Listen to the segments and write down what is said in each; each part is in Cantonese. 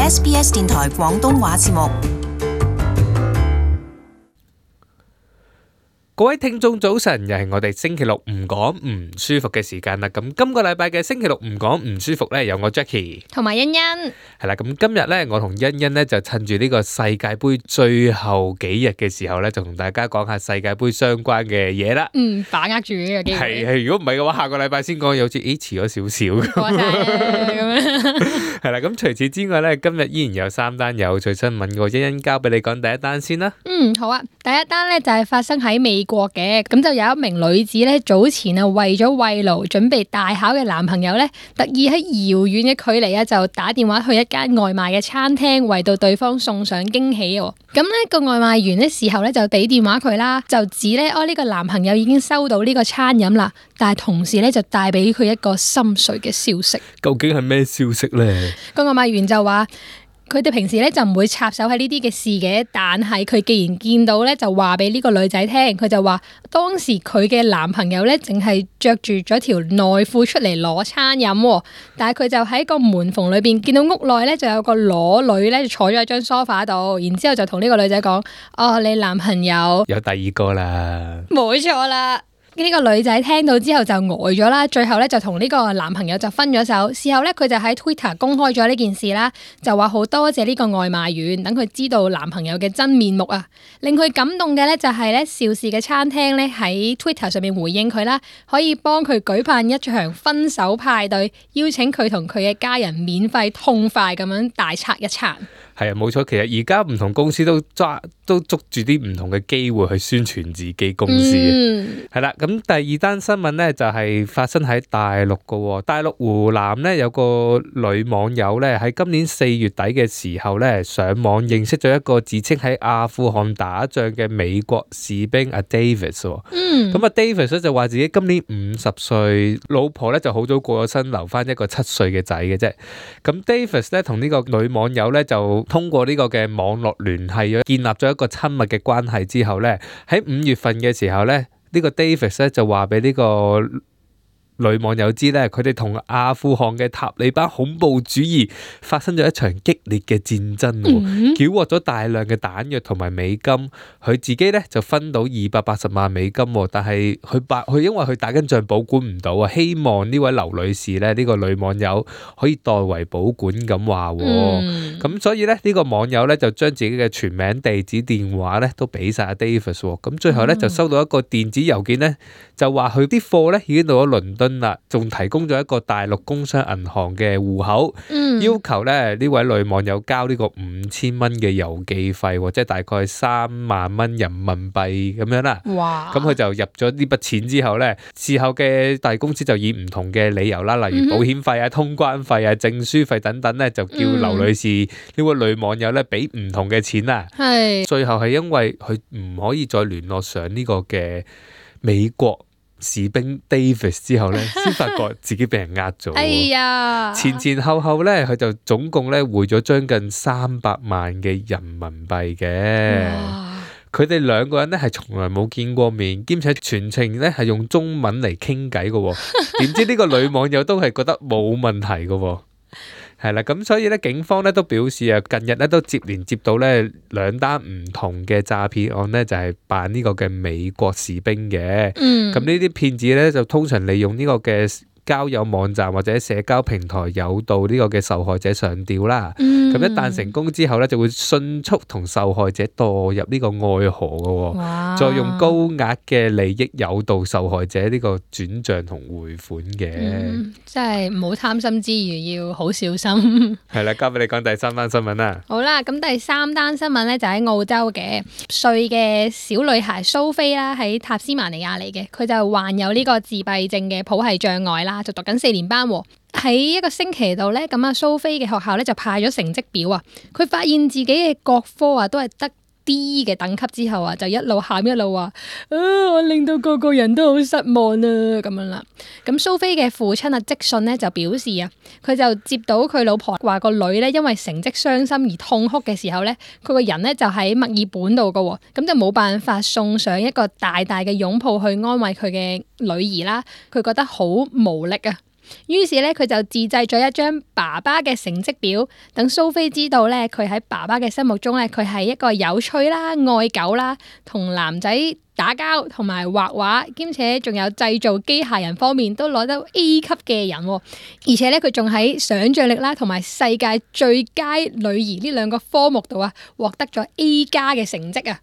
SBS 電台廣東話節目。各位聽眾早晨，又係我哋星期六唔講唔舒服嘅時間啦。咁今個禮拜嘅星期六唔講唔舒服呢，有我 Jackie 同埋欣欣。係啦，咁今日呢，我同欣欣呢就趁住呢個世界盃最後幾日嘅時候呢，就同大家講下世界盃相關嘅嘢啦。把握住呢個機會。係，如果唔係嘅話，下個禮拜先講，好似遲咗少少。過晒咁樣。係啦，咁除此之外呢，今日依然有3單有趣新聞，我欣欣交俾你講第一單先啦。好啊。第一單呢就係發生喺美國嘅，咁就有一名女子呢，早前啊為咗慰勞準備大考嘅男朋友呢，特意喺遙遠嘅距離啊就打電話去一間外賣嘅餐廳，為到對方送上驚喜喎。咁呢個外賣員呢事後呢就俾電話佢啦，就指呢呢個男朋友已經收到呢個餐飲啦，但係同時呢就帶俾佢一個心碎嘅消息。究竟係咩消息呢？個外賣員就話，佢哋平時咧就唔會插手喺呢啲嘅事嘅，但係佢既然見到咧，就話俾呢個女仔聽，佢就話當時佢嘅男朋友咧淨係着住咗條內褲出嚟攞餐飲，但係佢就喺個門縫裏邊見到屋內咧就有個裸女咧坐咗喺張梳化度，然之後就同呢個女仔講：哦，你男朋友有第二個啦。冇錯啦。呢個女仔聽到之後就呆咗啦，最後咧就同呢個男朋友就分咗手。事後咧佢就喺 Twitter 公開咗呢件事啦，就話好多謝呢個外賣員，等佢知道男朋友嘅真面目啊。令佢感動嘅咧就係咧邵氏嘅餐廳咧喺 Twitter 上面回應佢啦，可以幫佢舉辦一場分手派對，邀請佢同佢嘅家人免費痛快咁樣大餐一餐。係啊，冇錯，其實而家唔同公司都捉住啲唔同嘅機會去宣傳自己公司嘅。係啦，咁第二單新聞呢，就係發生喺大陸嘅。大陸湖南呢，有個女網友呢，喺今年4月底嘅時候呢，上網認識咗一個自稱喺阿富汗打仗嘅美國士兵阿 Davis。咁阿 Davis 咧就話自己今年50歲，老婆呢就好早過咗身，留翻一個7歲嘅仔嘅啫。咁 Davis 咧同呢個女網友呢，就通過呢個嘅網絡聯繫，建立咗一個親密嘅關係之後呢，喺5月份嘅時候呢，呢個 Davis 咧就話俾呢個女網友知咧，佢哋同阿富汗嘅塔利班恐怖主義發生咗一場激烈嘅戰爭，繳獲咗大量嘅彈藥同埋美金。佢自己咧就分到280萬美金，但係佢因為佢打緊仗保管唔到啊，希望呢位劉女士咧，呢個女網友可以代為保管咁話。咁所以咧呢個網友咧就將自己嘅全名、地址、電話咧都俾晒阿 Davis。咁最後咧就收到一個電子郵件咧，就話佢啲貨咧已經到咗倫敦啦，仲提供咗一個大陸工商銀行嘅戶口，要求咧呢位女網友交呢個5000蚊嘅郵寄費，即係大概3萬蚊人民幣咁樣啦。哇！咁佢就入咗呢筆錢之後咧，事後嘅大公司就以唔同嘅理由啦，例如保險費啊、通關費啊、證書費等等咧，就叫劉女士呢位女網友咧俾唔同嘅錢啦。係最後係因為佢唔可以再聯絡上呢個嘅美國士兵 Davis 之後咧，先發覺自己俾人呃咗。哎呀！前後咧，佢就總共咧匯咗將近300萬嘅人民幣嘅。佢哋兩個人咧係從來冇見過面，兼且全程咧係用中文嚟傾偈嘅。點知呢個女網友都係覺得冇問題嘅。係啦，咁所以咧，警方咧都表示啊，近日咧都接連接到咧2單唔同嘅詐騙案咧，就係扮呢個嘅美國士兵嘅。咁呢啲騙子咧就通常利用呢個嘅交友網站或者社交平台誘導呢個嘅受害者上釣啦。咁一旦成功之後咧，就會迅速同受害者墮入呢個愛河嘅，再用高額嘅利益誘導受害者呢個轉賬同匯款嘅。真係唔好貪心之餘要好小心。係啦，交俾你講第3單新聞啦。好啦，咁第3單新聞咧就喺澳洲嘅歲嘅小女孩蘇菲啦，喺塔斯曼尼亞嚟嘅，佢就患有呢個自閉症嘅譜系障礙啦，就讀緊4年班。喺一個星期度咧，咁阿蘇菲嘅學校咧就派咗成績表啊，佢發現自己嘅各科啊都係得D 嘅等級之後啊，就一路喊一路話：我令到個個人都好失望啊咁樣啦。咁蘇菲嘅父親啊，即信咧就表示啊，佢就接到佢老婆話個女咧因為成績傷心而痛哭嘅時候咧，佢個人咧就喺墨爾本度噶，咁就冇辦法送上一個大大嘅擁抱去安慰佢嘅女兒啦，佢覺得好無力啊。於是咧佢就自製咗一張爸爸嘅成績表，等蘇菲知道咧佢喺爸爸嘅心目中咧佢係一個有趣啦、愛狗啦、同男仔打交同埋畫畫，兼且仲有製造機械人方面都攞得 A 級嘅人，而且咧佢仲喺想像力啦同埋世界最佳女兒呢兩個科目度啊獲得咗 A 加嘅成績啊！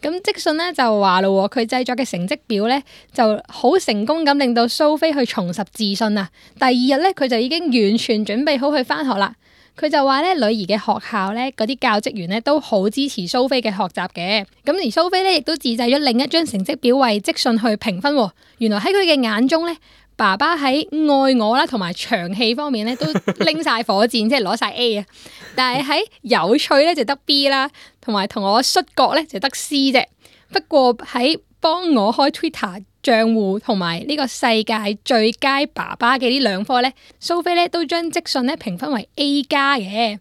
咁積遜咧就話咯，佢製作嘅成績表咧就好成功咁令到蘇菲去重拾自信啊！第二日咧佢就已經完全準備好去返學啦。佢就話咧，女兒嘅學校咧，嗰啲教職員咧都好支持蘇菲嘅學習嘅。咁而蘇菲咧亦都自製咗另一張成績表為積遜去評分。原來喺佢嘅眼中咧，爸爸喺愛我啦同埋長氣方面咧都拎晒火箭，即係攞晒 A 啊。但係喺有趣咧就得 B 啦，同埋同我摔角咧就得 C 啫。不過喺幫我開 Twitter賬戶同埋呢個世界最佳爸爸嘅呢兩科咧，蘇菲咧都將積遜咧評分為 A 加嘅。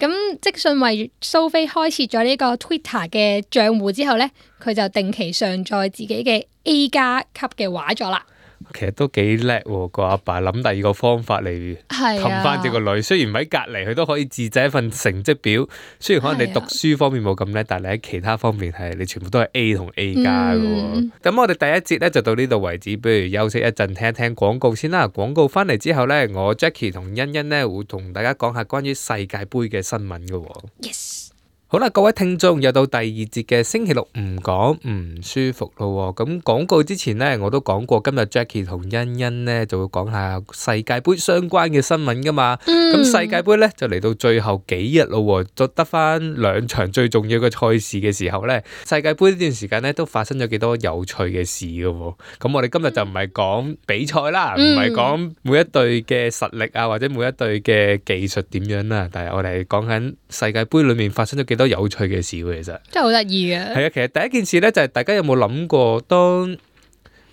咁積遜為蘇菲開設咗呢個 Twitter 嘅賬戶之後咧，佢就定期上載自己嘅 A 加級嘅畫作啦。其實都幾叻喎，個阿爸諗第二個方法嚟氹翻隻個女。雖然唔喺隔離，佢都可以自製一份成績表。雖然可能你讀書方面冇咁叻，但係你喺其他方面係你全部都係 A 同 A 加嘅喎。咁我哋第一節咧就到呢度為止，不如休息一陣聽一聽廣告先啦。廣告翻嚟之後咧，我 Jackie 同欣欣咧會同大家講下關於世界盃嘅新聞嘅喎。Yes。好啦，各位聽眾，又到第二節嘅星期六唔講唔舒服咯。咁廣告之前呢，我都講過今日 Jackie 同欣欣呢就會講下世界盃相關嘅新聞噶嘛。咁世界盃呢就嚟到最後幾日咯，就得翻兩場最重要嘅賽事嘅時候呢，世界盃呢段時間呢都發生咗幾多有趣嘅事噶。咁我哋今日就唔係講比賽啦，唔係講每一隊嘅實力啊，或者每一隊嘅技術點樣啦，但係我哋係講緊世界盃裏面發生咗幾多有趣嘅事，其實真係好得意嘅。係啊，其實第一件事咧就係大家有冇諗過，當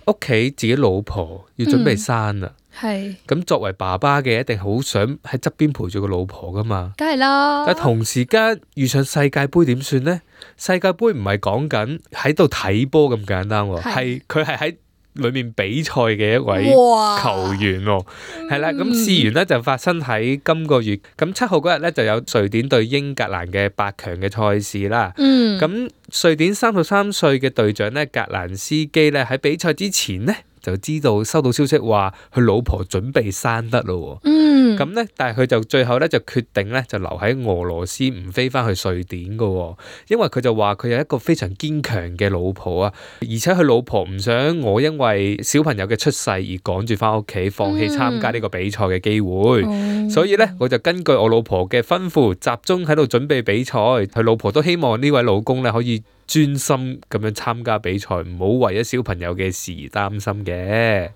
屋企自己老婆要準備生啦，係咁作為爸爸嘅一定好想喺側邊陪住個老婆噶嘛，梗係啦。但係同時間遇上世界盃點算呢？世界盃唔係講緊喺度睇波咁簡單，係佢係喺裏面比賽嘅一位球員喎，係啦，咁事緣咧就發生喺今個月咁7號嗰日咧就有瑞典對英格蘭嘅8強嘅賽事啦。咁瑞典33歲嘅隊長咧格蘭斯基咧喺比賽之前咧就知道收到消息話佢老婆準備生得咯。咁咧，但係佢就最後咧就決定咧就留喺俄羅斯唔飛翻去瑞典噶，因為佢就話佢有一個非常堅強嘅老婆啊，而且佢老婆唔想我因為小朋友嘅出世而趕住翻屋企，放棄參加呢個比賽嘅機會。所以咧，我就根據我老婆嘅吩咐，集中喺度準備比賽。佢老婆都希望呢位老公咧可以專心咁樣參加比賽，唔好為咗小朋友嘅事而擔心嘅。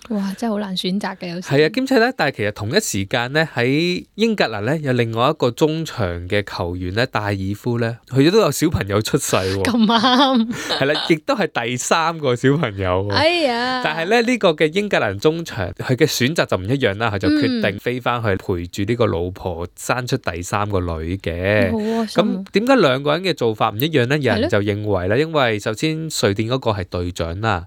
哇，真係好難選擇嘅，有時係啊，兼且咧，但係其實同一時間咧，喺英格蘭咧有另外一個中場嘅球員咧，戴爾夫咧，佢都有小朋友出世喎。咁啱係啦，亦都係第3個小朋友。哎呀！但係咧呢個嘅英格蘭中場，佢嘅選擇就唔一樣啦，佢就決定飛翻去陪住呢個老婆，生出第3個女嘅。咁點解兩個人嘅做法唔一樣咧？有人就認為咧，因為首先瑞典嗰個係隊長啦，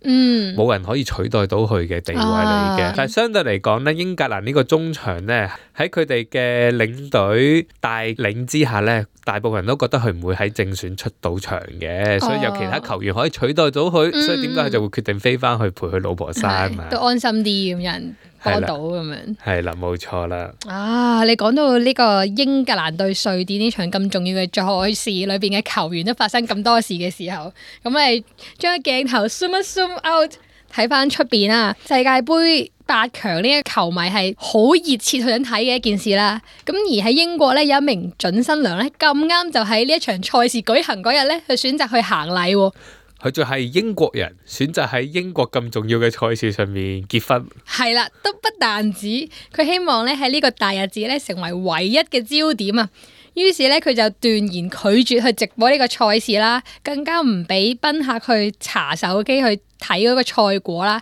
冇人可以取代到佢嘅地位嚟嘅。但係相對嚟講咧，英格蘭呢個中場咧喺佢哋嘅領隊帶領之下咧，大部分人都覺得佢唔會喺正選出到場嘅，所以有其他球員可以取代到佢，所以點解佢就會決定飛翻去陪佢老婆生啊？都安心啲咁，有人幫到咁樣。係啦，冇錯啦。啊，你講到呢個英格蘭對瑞典呢場咁重要嘅賽事裏邊嘅球員都發生咁多事嘅時候，咁你將鏡頭 zoom out 睇翻出邊啊！世界盃8強呢個球迷係好熱切去想睇嘅一件事啦。咁而喺英國咧有一名準新娘咧咁啱就喺呢一場賽事舉行嗰日咧，佢選擇去行禮喎。佢就係英國人，選擇喺英國咁重要嘅賽事上面結婚。係啦，都不但止，佢希望咧喺呢個大日子咧成為唯一嘅焦點啊！於是咧，佢就斷言拒絕去直播呢個賽事啦，更加唔俾賓客去查手機去睇嗰個賽果啦。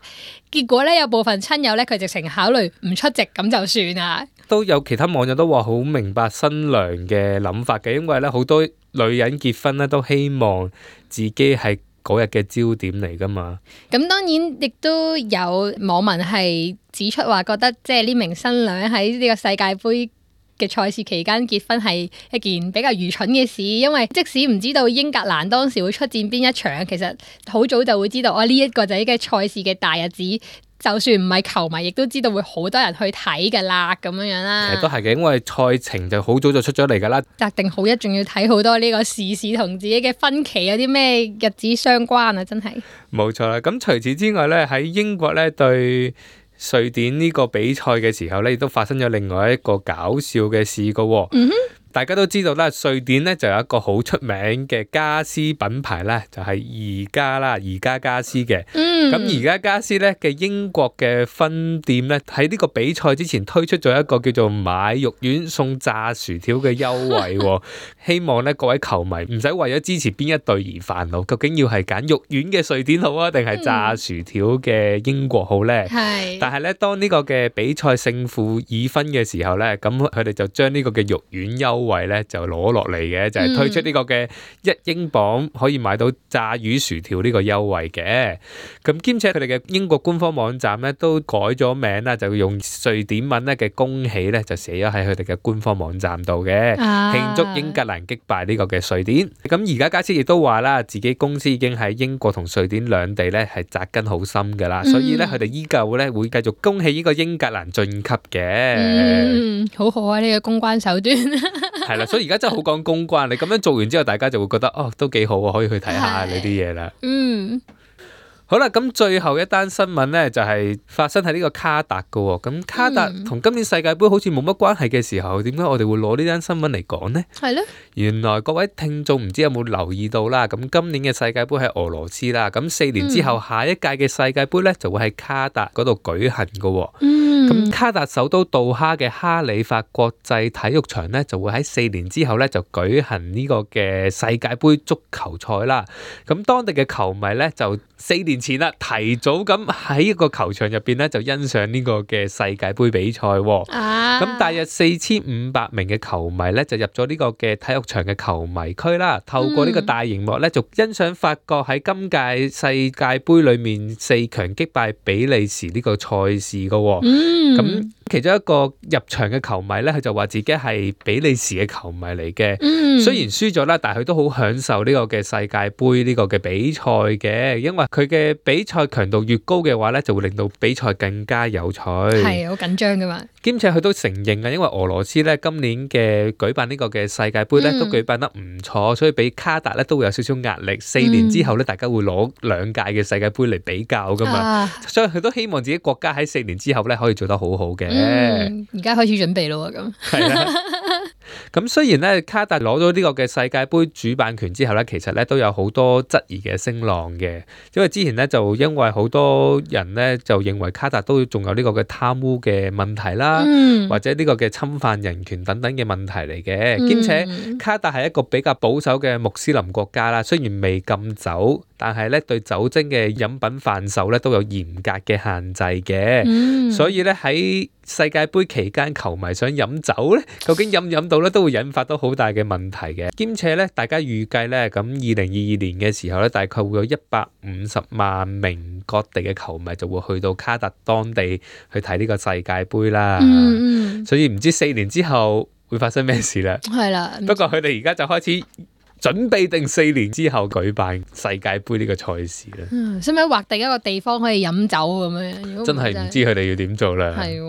結果咧，有部分親友咧，佢直情考慮唔出席咁就算啦。都有其他網友都話好明白新娘嘅諗法嘅，因為咧好多女人結婚咧都希望自己係嗰日嘅焦點嚟噶嘛。咁當然亦都有網民係指出話，覺得即係呢名新娘喺呢個世界盃嘅賽事期間結婚係一件比較愚蠢嘅事，因為即使唔知道英格蘭當時會出戰邊一場，其實好早就會知道呢一個就係嘅賽事嘅大日子。就算唔係球迷，亦都知道會好多人去睇㗎啦，咁樣樣啦。其實都係嘅，因為賽程就好早就出咗嚟㗎啦。擇定好一，仲要睇好多呢個時事同自己嘅婚期有啲咩日子相關啊！真係冇錯啦。咁除此之外咧，喺英國咧對瑞典呢個比賽嘅時候咧，亦都發生咗另外一個搞笑嘅事㗎喎。大家都知道啦，瑞典咧就有一個好出名嘅家私品牌咧，就係宜家啦，宜家家私嘅。咁宜家家私咧嘅英國嘅分店咧，喺呢個比賽之前推出咗一個叫做買肉丸送炸薯條嘅優惠喎。希望咧各位球迷唔使為咗支持邊一隊而煩惱，究竟要係揀肉丸嘅瑞典好啊，定係炸薯條嘅英國好咧？但係咧，當呢個嘅比賽勝負已分嘅時候咧，咁佢哋就將呢個嘅肉丸優惠咧就攞落嚟嘅，就係推出呢個嘅1英鎊可以買到炸魚薯條呢個優惠嘅。咁兼且佢哋嘅英國官方網站咧都改咗名啦，就用瑞典文咧嘅恭喜咧就寫咗喺佢哋嘅官方網站度嘅，慶祝英格蘭擊敗呢個嘅瑞典。咁而家家私亦都話啦，自己公司已經喺英國同瑞典兩地咧係紮根好深噶啦，所以咧佢哋依舊咧會繼續恭喜呢個英格蘭晉級嘅。好好啊，呢個公關手段。係啦，所以而家真係好講公關。你咁樣做完之後，大家就會覺得都幾好啊，可以去睇下呢啲嘢啦。好啦，咁最後一單新聞咧就係發生喺呢個卡達噶喎。咁卡達同今年世界盃好似冇乜關係嘅時候，點解我哋會攞呢單新聞嚟講呢？係咧，原來各位聽眾唔知有冇留意到啦。咁今年嘅世界盃喺俄羅斯啦，咁4年之後下一屆嘅世界盃咧就會喺卡達嗰度舉行噶喎。咁卡達首都杜哈嘅哈里法國際體育場咧就會喺4年之後咧就舉行呢個嘅世界盃足球賽啦。咁當地嘅球迷咧就4年前啦，提早咁喺一個球場入邊咧就欣賞呢個嘅世界盃比賽。咁大約4500名嘅球迷咧就入咗呢個嘅體育場嘅球迷區啦，透過呢個大熒幕咧就欣賞法國喺今屆世界盃裏面4強擊敗比利時呢個賽事噶。咁其中一個入場嘅球迷咧，佢就話自己係比利時嘅球迷嚟嘅。雖然輸咗啦，但係佢都好享受呢個嘅世界盃呢個嘅比賽嘅，因為佢嘅比賽強度越高嘅話咧，就會令到比賽更加有趣。係好緊張噶嘛。兼且佢都承認啊，因為俄羅斯咧今年嘅舉辦呢個嘅世界盃咧都舉辦得唔錯，所以俾卡達咧都會有少少壓力。4年之後咧，大家會攞2屆嘅世界盃嚟比較噶嘛，所以佢都希望自己國家喺4年之後咧可以做得好好嘅。而家開始準備咯，咁係啦。咁雖然咧卡達攞咗呢個嘅世界盃主辦權之後咧，其實咧都有好多質疑嘅聲浪嘅，因為之前咧就因為好多人咧就認為卡達都仲有呢個嘅貪污嘅問題啦，或者呢個嘅侵犯人權等等嘅問題嚟嘅。兼且卡達係一個比較保守嘅穆斯林國家啦，雖然未禁酒，但係咧對酒精嘅飲品販售咧都有嚴格嘅限制嘅。所以咧喺世界盃期間，球迷想飲酒咧，究竟飲唔飲到咧，都會引發到好大嘅問題嘅。兼且咧，大家預計咧，咁2022年嘅時候咧，大概會有150萬名各地嘅球迷就會去到卡達當地去睇呢個世界盃啦。所以唔知4年之後會發生咩事啦。係啦，不過佢哋而家就開始準備定4年之後舉辦世界盃呢個賽事啦。使唔使劃定一個地方可以飲酒咁樣？真係唔知佢哋要點做啦。係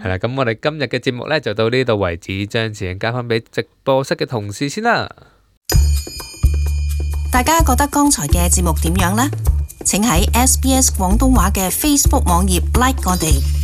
啦，咁我哋今日嘅節目咧就到呢度為止，將時間交翻俾直播室嘅同事先啦。大家覺得剛才嘅節目點樣呢？請喺SBS 廣東話嘅 Facebook 網頁 like 我哋。